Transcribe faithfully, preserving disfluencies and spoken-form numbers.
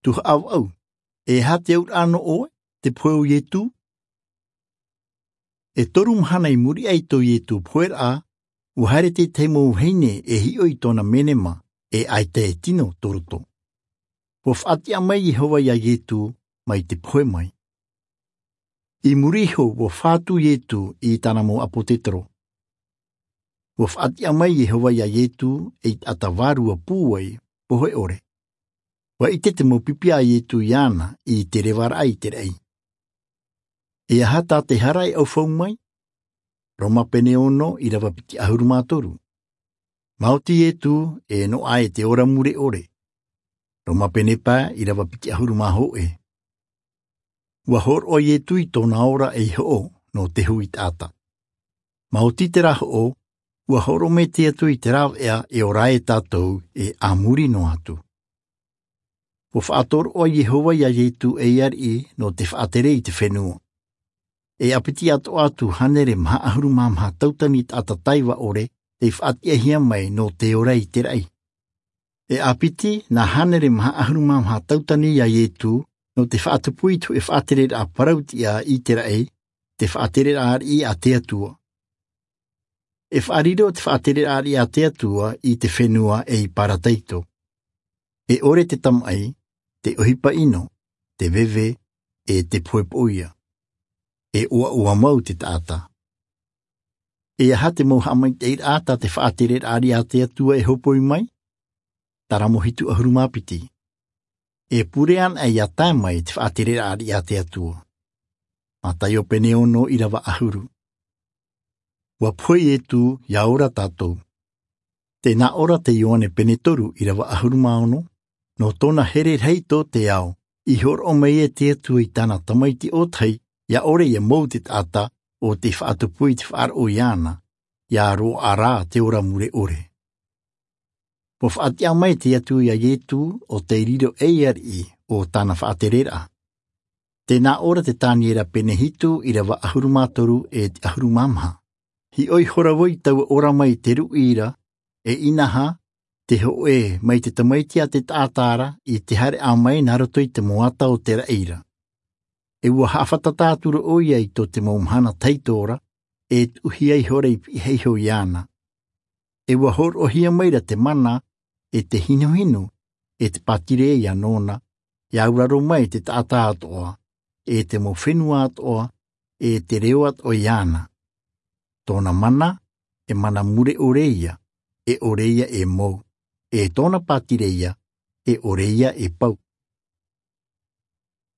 Tū haʻavau, e aha te auraʻa nō ʻoe, te pohe o Ietu? E toru mahana i muri aʻe i tō Ietu poheraʻa, ua haere te tahi mau vahine e hiʻo i tōna menema, e ʻaita e tino tō roto. Ua faʻatiʻa mai Iehova ia Ietu mai te pohe mai. I muri iho ua fā atu Ietu i tāna mau ʻāpōtetoro. Ua faʻatiʻa mai Iehova ia Ietu ei taʻata vārua pūai, pohe ʻore. Ua ʻite te mau pipi a Ietu iāna i te revaraʻa i te raʻi. E aha tā te hara e ʻaufau mai? Roma pene ono ʻīrava piti ʻahuru mā toru. Maoti Ietu e noaʻa e te ora mure ʻore. Roma pene pae ʻīrava piti ʻahuru mā hōʻē. Ua hōroʻa Ietu i tōna ora ei hoʻo nō te hui taʻata. Maoti terā hoʻo, ua hōroʻa mai te Atua i te rāveʻa e ora ai tātou e a muri noa atu. Ua faʻatoroʻa Iehova ia Ietu ei ariʻi nō te faʻatere i te fenua. E ʻāpiti atoʻa atu hānere maha ʻahuru mā maha tautini taʻata taiva ʻore tei faʻatiʻahia mai nō te ora i te raʻi. E ʻāpiti nā hānere maha ʻahuru mā maha tautini ia Ietu nō te faʻatupu i te hōʻē faʻatereraʻa parau tiʻa i te raʻi, te faʻatereraʻa ariʻi a te Atua. E faʻariro te faʻatereraʻa ariʻi a te Atua i te fenua ei parataito. E ʻore te tamaʻi, te ʻohipa ʻino, te veve, e te poʻipoʻia. E ʻoaʻoa mau te taʻata. E aha te mau haʻamaitaʻiraʻa tā te faʻatereraʻa ariʻi a te Atua e hopoi mai? Taramo hitu ʻahuru mā piti. E pure anaʻe ia tae mai te faʻatereraʻa ariʻi a te Atua. Mataio pene ono ʻīrava ʻahuru. Ua pohe Ietu ia ora tātou. Tē nā ʻō ra te Ioane pene toru ʻīrava ʻahuru mā ono, nō tōna here rahi tō te ao, i hōroʻa mai e te Atua i tāna Tamaiti ʻōtahi, ia ʻore ia mou te taʻata ʻo tei faʻatupu i te faʻaroʻo iāna, ia roaʻa rā te ora mure ʻore. Ua faʻatiʻa mai te Atua ia Ietu ʻo tei riro ei ariʻi o tāna faʻatereraʻa. Tē nā ʻō ra te Taniera pene hitu ʻīrava ʻahuru mā toru e te ʻahuru mā maha. Hiʻo ihora vau i taua ora mai i te ruʻi ra, e inaha, te hōʻē mai te Tamaiti a te taʻata ra i te haereʻa mai nā roto i te moata o te raʻi ra. E ua haʻafātata atu ra ʻoia i tō te mau mahana tahito ra, e tuʻuhia ihora i pihaʻi iho iāna. E ua hōroʻahia mai ra te mana, e te hinuhinu, e te pātireia nōna, ia auraro mai te taʻata atoʻa, e te mau fenua atoʻa, e te reo atoʻa iāna. Tōna mana, e mana mure ʻore ia, e ʻore ia e mou, e tōna pātireia, e ʻore ia e pau.